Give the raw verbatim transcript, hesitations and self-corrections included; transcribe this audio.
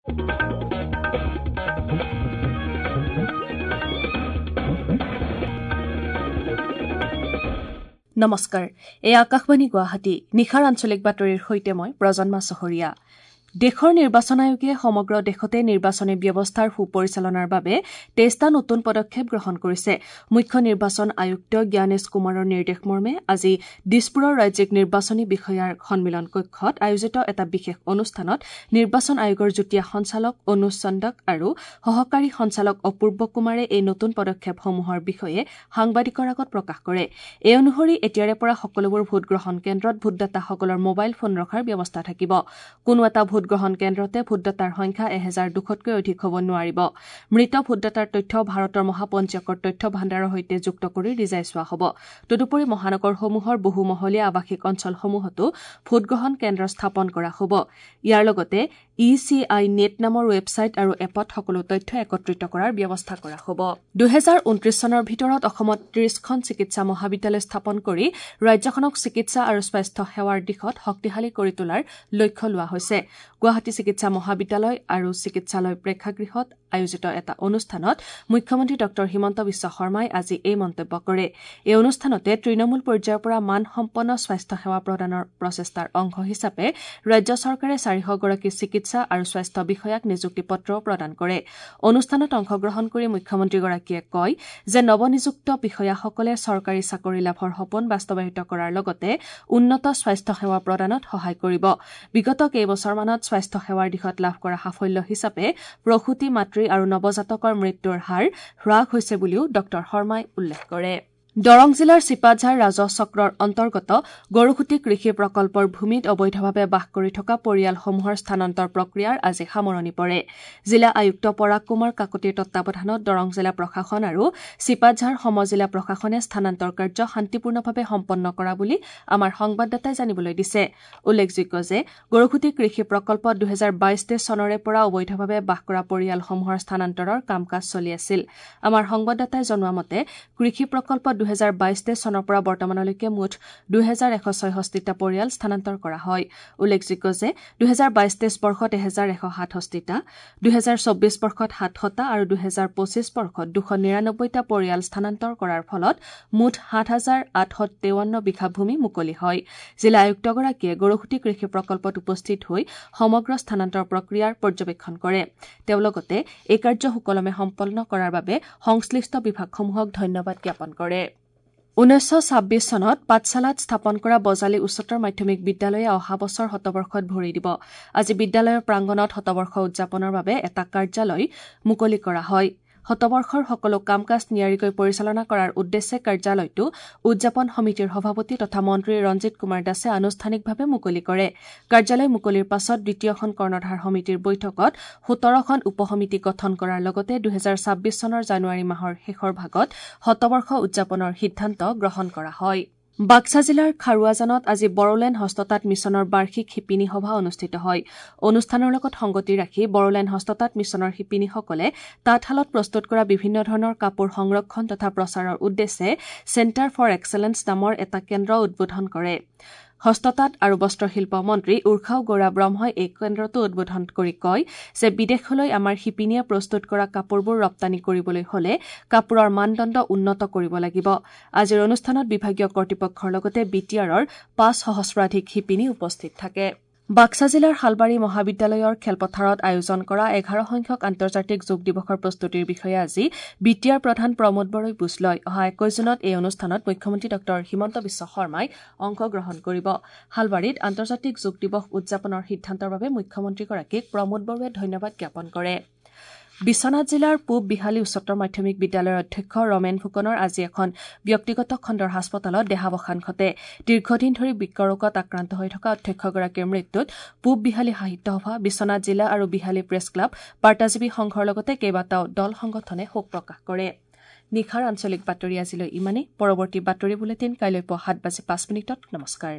নমস্কাৰ, এই আকাশবাণী গুৱাহাটী। নিশাৰ আঞ্চলিক বাতৰিৰ সৈতে মই প্ৰজন্মা চহৰীয়া। দেশৰ নিৰ্বাচন আয়োগে সমগ্ৰ দেশতে নিৰ্বাচনী ব্যৱস্থাৰ সুপৰিচালনাৰ বাবে তেইছটা নতুন পদক্ষেপ গ্ৰহণ কৰিছে। মুখ্য নিৰ্বাচন আয়ুক্ত জ্ঞানেশ কুমাৰৰ নিৰ্দেশ মৰ্মে আজি দিছপুৰৰ ৰাজ্যিক নিৰ্বাচনী বিষয়াৰ সন্মিলন কক্ষত আয়োজিত এটা বিশেষ অনুষ্ঠানত নিৰ্বাচন আয়োগৰ যুটীয়া সঞ্চালক অনুজ চন্দক আৰু সহকাৰী সঞ্চালক অপূৰ্ব কুমাৰে এই নতুন পদক্ষেপসমূহৰ বিষয়ে সাংবাদিকৰ আগত প্ৰকাশ কৰে। এই অনুসৰি এতিয়াৰে পৰা সকলোবোৰ ভোটগ্ৰহণ কেন্দ্ৰত ভোটদাতাসকলৰ মোবাইল ফোন ৰখাৰ ব্যৱস্থা থাকিব। কোনো এটা ভোটগ্ৰহণ কেন্দ্ৰতে ভোটদাতাৰ সংখ্যা এহেজাৰ দুশতকৈ অধিক হ'ব নোৱাৰিব। মৃত ভোটদাতাৰ তথ্য ভাৰতৰ মহাপঞ্জীয়কৰ তথ্য ভাণ্ডাৰৰ সৈতে যুক্ত কৰি ৰিজাই চোৱা হ'ব। তদুপৰি মহানগৰসমূহৰ বহুমহলীয়া আৱাসিক অঞ্চলসমূহতো ভোটগ্ৰহণ কেন্দ্ৰ স্থাপন কৰা হ'ব। ইয়াৰ লগতে ই চি I net নামৰ ৱেবছাইট আৰু এপত সকলো তথ্য একত্ৰিত কৰাৰ ব্যৱস্থা কৰা হ'ব। দুহেজাৰ ঊনত্ৰিশ চনৰ ভিতৰত অসমত ত্ৰিশখন চিকিৎসা মহাবিদ্যালয় স্থাপন কৰি ৰাজ্যখনক চিকিৎসা আৰু স্বাস্থ্য সেৱাৰ দিশত শক্তিশালী কৰি তোলাৰ লক্ষ্য লোৱা হৈছে। গুৱাহাটী চিকিৎসা মহাবিদ্যালয় আৰু চিকিৎসালয় প্ৰেক্ষাগৃহত আয়োজিত এটা অনুষ্ঠানত মুখ্যমন্ত্ৰী ডঃ হিমন্ত বিশ্ব শৰ্মাই আজি এই মন্তব্য কৰে। এই অনুষ্ঠানতে তৃণমূল পৰ্যায়ৰ পৰা মানসম্পন্ন স্বাস্থ্য সেৱা প্ৰদানৰ প্ৰচেষ্টাৰ অংশ হিচাপে ৰাজ্য চৰকাৰে চাৰিশগৰাকী চিকিৎসা আৰু স্বাস্থ্য বিষয়াক নিযুক্তি পত্ৰও প্ৰদান কৰে। অনুষ্ঠানত অংশগ্ৰহণ কৰি মুখ্যমন্ত্ৰীগৰাকীয়ে কয় যে নৱনিযুক্ত বিষয়াসকলে চৰকাৰী চাকৰি লাভৰ সপোন বাস্তৱায়িত কৰাৰ লগতে উন্নত স্বাস্থ্য সেৱা প্ৰদানত সহায় কৰিব। বিগত কেইবছৰমানত স্বাস্থ্য সেৱাৰ দিশত লাভ কৰা সাফল্য হিচাপে প্ৰসূতি, মাতৃ আৰু নৱজাতকৰ মৃত্যুৰ হাৰ হ্ৰাস হৈছে বুলিও ডঃ শৰ্মাই উল্লেখ কৰে। দৰং জিলাৰ চিপাঝাৰ ৰাজহ চক্ৰৰ অন্তৰ্গত গৰুখুটি কৃষি প্ৰকল্পৰ ভূমিত অবৈধভাৱে বাস কৰি থকা পৰিয়ালসমূহৰ স্থানান্তৰ প্ৰক্ৰিয়াৰ আজি সামৰণি পৰে। জিলা আয়ুক্ত পৰাগ কুমাৰ কাকতিৰ তত্বাৱধানত দৰং জিলা প্ৰশাসন আৰু চিপাঝাৰ সমজিলা প্ৰশাসনে স্থানান্তৰ কাৰ্য শান্তিপূৰ্ণভাৱে সম্পন্ন কৰা বুলি আমাৰ সংবাদদাতাই জানিবলৈ দিছে। উল্লেখযোগ্য যে গৰুখুটি কৃষি প্ৰকল্পত দুহেজাৰ বাইশ তেইছ চনৰে পৰা অবৈধভাৱে বাস কৰা পৰিয়ালসমূহৰ স্থানান্তৰৰ কাম কাজ চলি আছিল। আমাৰ সংবাদদাতাই জনোৱা মতে কৃষি প্ৰকল্পত দুহেজাৰ বাইশ তেইছ চনৰ পৰা বৰ্তমানলৈকে মুঠ দুহেজাৰ এশ ছয়ষষ্ঠিটা পৰিয়াল স্থানান্তৰ কৰা হয়। উল্লেখযোগ্য যে দুহেজাৰ বাইশ তেইছ বৰ্ষত এহেজাৰ এশ সাতষষ্ঠিটা, দুহেজাৰ চৌব্বিছ বৰ্ষত সাতশটা আৰু দুহেজাৰ পঁচিছ বৰ্ষত দুশ নিৰানব্বৈটা পৰিয়াল স্থানান্তৰ কৰাৰ ফলত মুঠ সাত হাজাৰ আঠশ তেৱন্ন বিঘা ভূমি মুকলি হয়। জিলা আয়ুক্তগৰাকীয়ে গৰুখুটি কৃষি প্ৰকল্পত উপস্থিত হৈ সমগ্ৰ স্থানান্তৰ প্ৰক্ৰিয়াৰ পৰ্যবেক্ষণ কৰে। তেওঁ লগতে এই কাৰ্য সুকলমে সম্পন্ন কৰাৰ বাবে সংশ্লিষ্ট বিভাগসমূহক ধন্যবাদ জ্ঞাপন কৰে। ঊনৈছশ ছাব্বিছ চনত পাঠশালাত স্থাপন কৰা বজালী উচ্চতৰ মাধ্যমিক বিদ্যালয়ে অহা বছৰ শতবৰ্ষত ভৰি দিব। আজি বিদ্যালয়ৰ প্ৰাংগণত শতবৰ্ষ উদযাপনৰ বাবে এটা কাৰ্যালয় মুকলি কৰা হয়। শতবৰ্ষৰ সকলো কাম কাজ নিয়াৰিকৈ পৰিচালনা কৰাৰ উদ্দেশ্যে কাৰ্যালয়টো উদযাপন সমিতিৰ সভাপতি তথা মন্ত্ৰী ৰঞ্জিত কুমাৰ দাসে আনুষ্ঠানিকভাৱে মুকলি কৰে। কাৰ্যালয় মুকলিৰ পাছত দ্বিতীয়খন কৰ্ণধাৰ সমিতিৰ বৈঠকত সোতৰখন উপসমিতি গঠন কৰাৰ লগতে দুহেজাৰ ছাব্বিছ চনৰ জানুৱাৰী মাহৰ শেষৰ ভাগত শতবৰ্ষ উদযাপনৰ সিদ্ধান্ত গ্ৰহণ কৰা হয়। বাক্সা জিলাৰ খাৰুৱাজানত আজি বড়োলেণ্ড হস্ততাঁত মিছনৰ বাৰ্ষিক শিপিনী সভা অনুষ্ঠিত হয়। অনুষ্ঠানৰ লগত সংগতি ৰাখি বড়োলেণ্ড হস্ততাঁত মিছনৰ শিপিনীসকলে তাঁতশালত প্ৰস্তুত কৰা বিভিন্ন ধৰণৰ কাপোৰ সংৰক্ষণ তথা প্ৰচাৰৰ উদ্দেশ্যে চেণ্টাৰ ফৰ এক্সেলেন্স নামৰ এটা কেন্দ্ৰ উদ্বোধন কৰে। হস্ততাঁত আৰু বস্ত্ৰশিল্প মন্ত্ৰী উৰ্খাও গৌৰা ব্ৰহ্মই এই কেন্দ্ৰটো উদ্বোধন কৰি কয় যে বিদেশলৈ আমাৰ শিপিনীয়ে প্ৰস্তুত কৰা কাপোৰবোৰ ৰপ্তানি কৰিবলৈ হলে কাপোৰৰ মানদণ্ড উন্নত কৰিব লাগিব। আজিৰ অনুষ্ঠানত বিভাগীয় কৰ্তৃপক্ষৰ লগতে বি টি আৰৰ পাঁচ সহস্ৰাধিক শিপিনী উপস্থিত থাকে। বাক্সা জিলাৰ শালবাৰী মহাবিদ্যালয়ৰ খেলপথাৰত আয়োজন কৰা এঘাৰ সংখ্যক আন্তৰ্জাতিক যোগ দিৱসৰ প্ৰস্তুতিৰ বিষয়ে আজি বি টি আৰ প্ৰধান প্ৰমোদ বড়োই বুজ লয়। অহা একৈশ জুনত এই অনুষ্ঠানত মুখ্যমন্ত্ৰী ডঃ হিমন্ত বিশ্ব শৰ্মাই অংশগ্ৰহণ কৰিব। শালবাৰীত আন্তৰ্জাতিক যোগ দিৱস উদযাপনৰ সিদ্ধান্তৰ বাবে মুখ্যমন্ত্ৰীগৰাকীক প্ৰমোদ বড়োৱে ধন্যবাদ জ্ঞাপন কৰে। বিশ্বনাথ জিলাৰ পূব বিহালী উচ্চতৰ মাধ্যমিক বিদ্যালয়ৰ অধ্যক্ষ ৰমেন ফুকনৰ আজি এখন ব্যক্তিগত খণ্ডৰ হাস্পতালত দেহাৱসান ঘটে। দীৰ্ঘদিন ধৰি বৃক্ক ৰোগত আক্ৰান্ত হৈ থকা অধ্যক্ষগৰাকীৰ মৃত্যুত পূব বিহালী সাহিত্য সভা, বিশ্বনাথ জিলা আৰু বিহালী প্ৰেছ ক্লাব, বাৰ্তাজীৱী সংঘৰ লগতে কেইবাটাও দল সংগঠনে শোক প্ৰকাশ কৰে। নিশাৰ আঞ্চলিক বাতৰি আজিলৈ ইমানেই। পৰৱৰ্তী বাতৰি বুলেটিন কাইলৈ পুৱা সাত বাজি পাঁচ মিনিটত। নমস্কাৰ।